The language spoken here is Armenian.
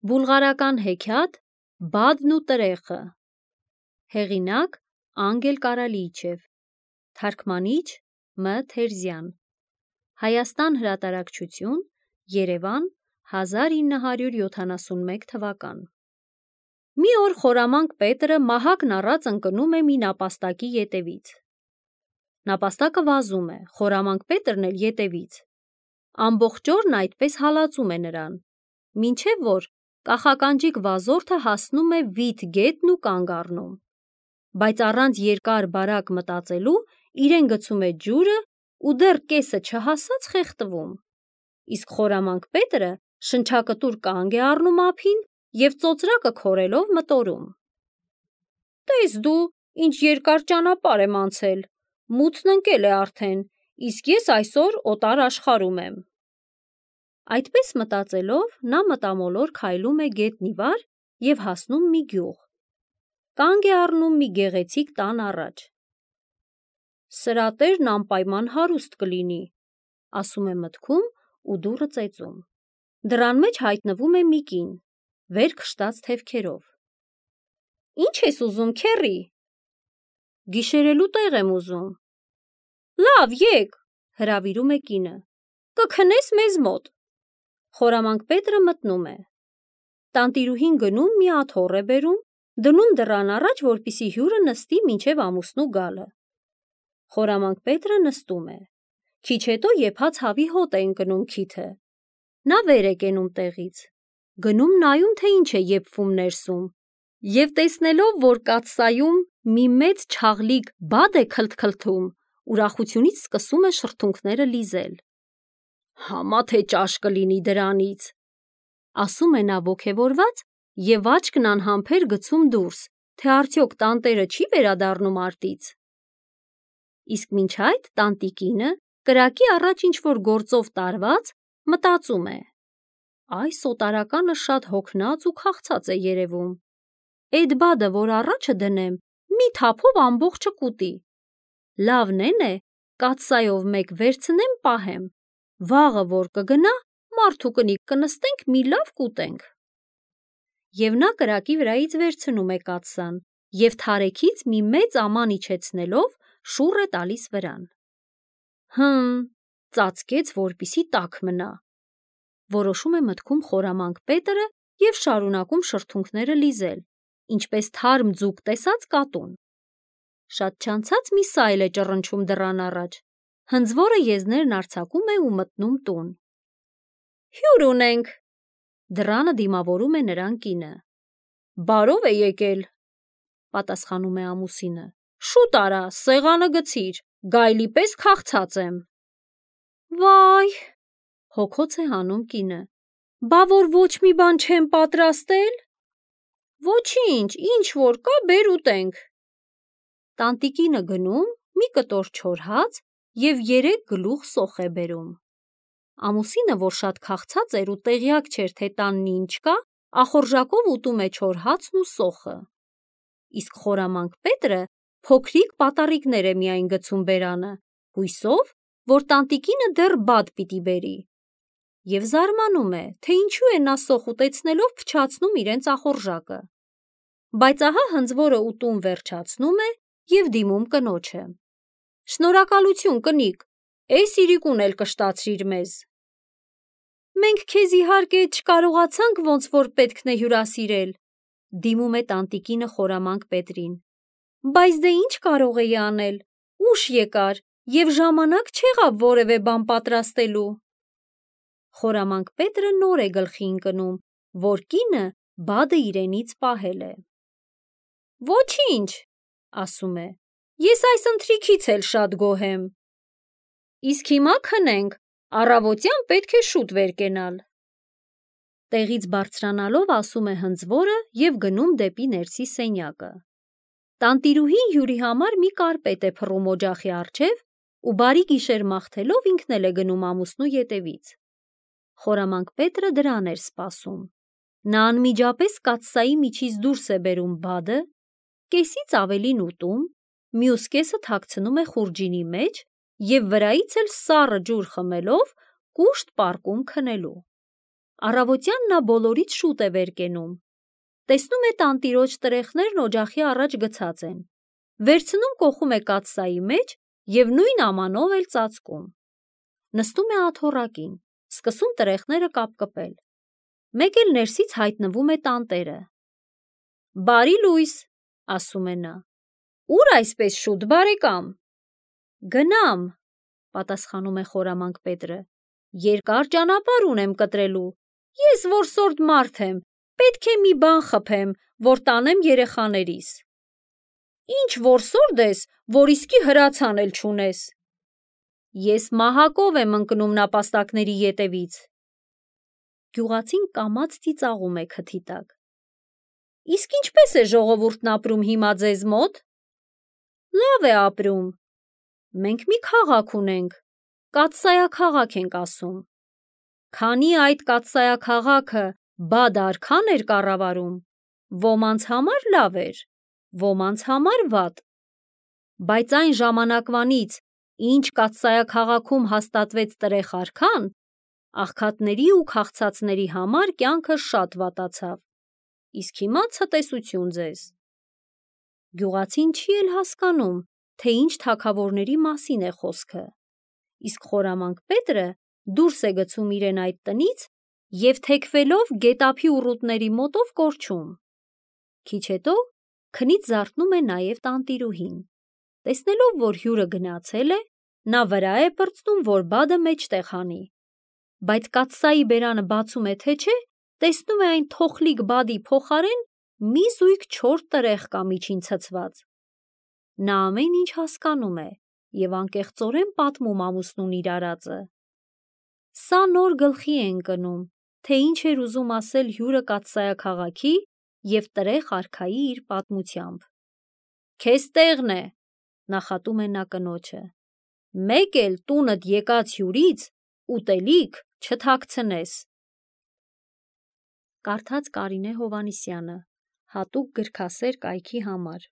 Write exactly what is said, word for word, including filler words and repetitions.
Բուլղարական հեքիաթ Բադն ու տրեխը։ Հեղինակ Անգել Կարալիչև։ Թարգմանիչ Մ. Թերզյան։ Հայաստան հրատարակչություն, Երևան, հազար ինը հարյուր յոթանասունմեկ թվական։ Մի օր խորամանկ Պետրը մահակն առած ընկնում է մի նապաստակի ետևից։ Նապաստակը վազում է, խորամանկ Պետրն էլ ետևից։ Ամբողջ օրն այդպես հալածում է նրան, մինչև որ կախականջիկ վազորդը հասնում է վիթ գետն ու կանգ առնում, բայց առանց երկար բարակ մտածելու իրեն գցում է ջուրը ու դեռ կեսը չհասած խեղդվում, իսկ խորամանկ Պետրը շնչակտուր կանգ է առնում ափին և ծոծրակը քորելով մտորում. «Տես դու, ինչ երկար ճանապարհ եմ անցել, մութն ընկել է արդեն, իսկ ես այսօր օտար աշխարհում եմ»։ Այդպես մտածելով, նա մտամոլոր քայլում է գետնի վար և հասնում մի գյուղ։ Կանգ է առնում մի գեղեցիկ տան առաջ։ «Սրա տերն անպայման հարուստ կլինի», ասում է մտքում ու դուռը ծեծում։ Դռան մեջ հայտնվում է մի կին, վեր քշտած թևքերով։ «Ի՞նչ ես ուզում, քեռի»։ «Գիշերելու տեղ եմ ուզում»։ «Լավ, եկ», հրավիրում է կինը, «կքնես մեզ մոտ»։ Խորամանկ Պետրը մտնում է։ Տանտիրուհին գնում մի աթոռ է բերում, դնում դռան առաջ, որպեսզի հյուրը նստի մինչև ամուսնու գալը։ Խորամանկ Պետրը նստում է։ Քիչ հետո եփած հավի հոտ է ընկնում քիթը։ Նա վեր է կենում տեղից, գնում նայում, թե ինչ է եփվում ներսում, և տեսնելով, որ կաթսայում մի մեծ չաղլիկ բադ է քլթքլթում, ուրախությունից սկսում է շրթունքները լիզել։ «Համա թե ճաշ կլինի դրանից», ասում է նա ոգևորված և աչքն անհամբեր գցում դուրս, թե արդյոք տանտերը չի վերադառնում արտից։ Իսկ մինչ այդ տանտիկինը, կրակի առաջ ինչ-որ գործով տարված, մտածում է. «Այս օտարականը շատ հոգնած ու քաղցած է երևում։ Էդ բադը, որ առաջը դնեմ, մի թափով ամբողջը կուտի։ Լավն է, կաթսայով մեկ վերցնեմ պահեմ, վաղը որ կգնա, մարդ ու կնիկ կնստենք, մի լավ կուտենք»։ Եվ նա կրակի վրայից վերցնում է կաթսան և թարեքից մի մեծ աման իջեցնելով շուռ է տալիս վրան։ «Հը՛մ, ծածկեց, որպեսզի տաք մնա», որոշում է մտքում խորամանկ Պետրը և շարունակում շրթունքները լիզել, ինչպես թարմ ձուկ տեսած կատուն։ Շատ չանցած մի սայլ է ճռնչում դռան առաջ, հնձվորը եզներն արձակում է ու մտնում տուն։ «Հյուր ունենք», դռանը դիմավորում է նրան կինը։ «Բարով է եկել», պատասխանում է ամուսինը, «շուտ արա, սեղանը գցիր, գայլի պես քաղցած եմ»։ «Վա՜յ», հոգոց է հանում կինը, «բա որ ոչ մի բան չեմ պատրաստել»։ «Ոչինչ, ինչ որ կա, բեր ուտենք»։ Տանտիկինը գնում, մի կտոր չոր հաց և երեք գլուխ սոխ է բերում։ Ամուսինը, որ շատ քաղցած էր ու տեղյակ չէր, թե տանն ինչ կա, ախորժակով ուտում է չոր հացն ու սոխը։ Իսկ խորամանկ Պետրը փոքրիկ պատառիկներ է միայն գցում բերանը, հույսով, որ տանտիկինը դեռ բադ պիտի բերի, և զարմանում է, թե ինչու է նա սոխ ուտեցնելով փչացնում իրենց ախորժակը։ Բայց ահա հնձվորը ուտում վերջացնում է և դիմում կնոջը. «Շնորհակալություն, կնիկ, էս իրիկուն էլ կշտացրիր մեզ»։ «Մենք քեզ իհարկե չկարողացանք ոնց որ պետքն է հյուրասիրել», դիմում է տանտիկինը խորամանկ Պետրին, «բայց դե ինչ կարող էի անել, ուշ եկար և ժամանակ չեղավ որևէ բան պատրաստելու»։ Խորամանկ Պետրը նոր է գլխի ընկնում, որ կինը բադը իրենից պահել է։ «Ոչինչ», ասում է, «ես այս ընթրիքից էլ շատ գոհ եմ»։ «Իսկ հիմա քնենք, առավոտյան պետք է շուտ վեր կենալ»։ Տեղից բարձրանալով ասում է հնձվորը և գնում դեպի ներսի սենյակը։ Տանտիրուհին հյուրի համար մի կարպետ է փռում օջախի առջև ու բարի գիշեր մաղթելով ինքն էլ է գնում ամուսնու ետևից։ Խորամանկ Պետրը դրան էր սպասում։ Նա անմիջապես կաթսայի միջից դուրս է բերում բադը, կեսից ավելին ուտում, մյուս կեսը թաքցնում է խուրջինի մեջ և վրայից էլ սառը ջուր խմելով կուշտ պառկում քնելու։ Առավոտյան նա բոլորից շուտ է վեր կենում։ Տեսնում է տանտիրոջ տրեխներն օջախի առաջ գցած են, վերցնում կոխում է կաթսայի մեջ և նույն ամանով էլ ծածկում։ Նստում է աթոռակին, սկսում տրեխները կապկպել։ Մեկ էլ ներսից հայտնվում է տանտերը։ «Բարի լույս», ասում է նա։ «Ո՞ւր այսպես շուտ, բարեկամ»։ «Գնամ», պատասխանում է խորամանկ Պետրը, «երկար ճանապարհ ունեմ կտրելու։ Ես որսորդ մարդ եմ, պետք է մի բան խփեմ, որ տանեմ երեխաներիս»։ «Ինչ որսորդ ես, որ իսկի հրացան էլ չունես»։ «Ես մահակով եմ ընկնում նապաստակների ետևից»։ Գյուղացին կամաց ծիծաղում է քթի տակ։ «Իսկ ինչպե՞ս է ժողովուրդն ապրում հիմա ձեզ մոտ»։ «Լավ է ապրում։ Մենք մի քաղաք ունենք, կաթսայաքաղաք ենք ասում։ Քանի այդ կաթսայաքաղաքը բադ արքան էր կառավարում, ոմանց համար լավ էր, ոմանց համար վատ։ Բայց այն ժամանակվանից, ինչ կաթսայաքաղաքում հաստատվեց տրեղ արքան, աղքատների ու քաղցածների համար կյանքը շատ վատացավ։ Իսկ հիմա ցտեսություն ձեզ»։ Գյուղացին չի էլ հասկանում, թե ինչ թագավորների մասին է խոսքը, իսկ խորամանկ Պետրը դուրս է գցում իրեն այդ տնից և թեքվելով գետափի ուռուտների մոտով կորչում։ Քիչ հետո քնից զարթնում է նաև տանտիրուհին։ Տեսնելով, որ հյուրը գնացել է, նա վրա է պրծնում, որ բադը մեջտեղ հանի։ Բայց կաթսայի բերանը բացում է, թե չէ, տեսնում է այն թոխլիկ բադի փոխարեն մի զույգ չոր տրեղ կա միջին ցցված։ Նա ամեն ինչ հասկանում է և անկեղծորեն պատմում ամուսնուն իր արածը։ Սա նոր գլխի է ընկնում, թե ինչ էր ուզում ասել հյուրը կաթսայաքաղաքի և տրեղ արքայի իր պատմությամբ։ «Քեզ տեղն է», նախատում է նա կնոջը, «մեկ էլ տունդ եկած հյուրից ուտելիք չթաքցնես»։ Կարդաց Կարինե Հովհաննիսյանը, հատուկ գրքասեր կայքի համար։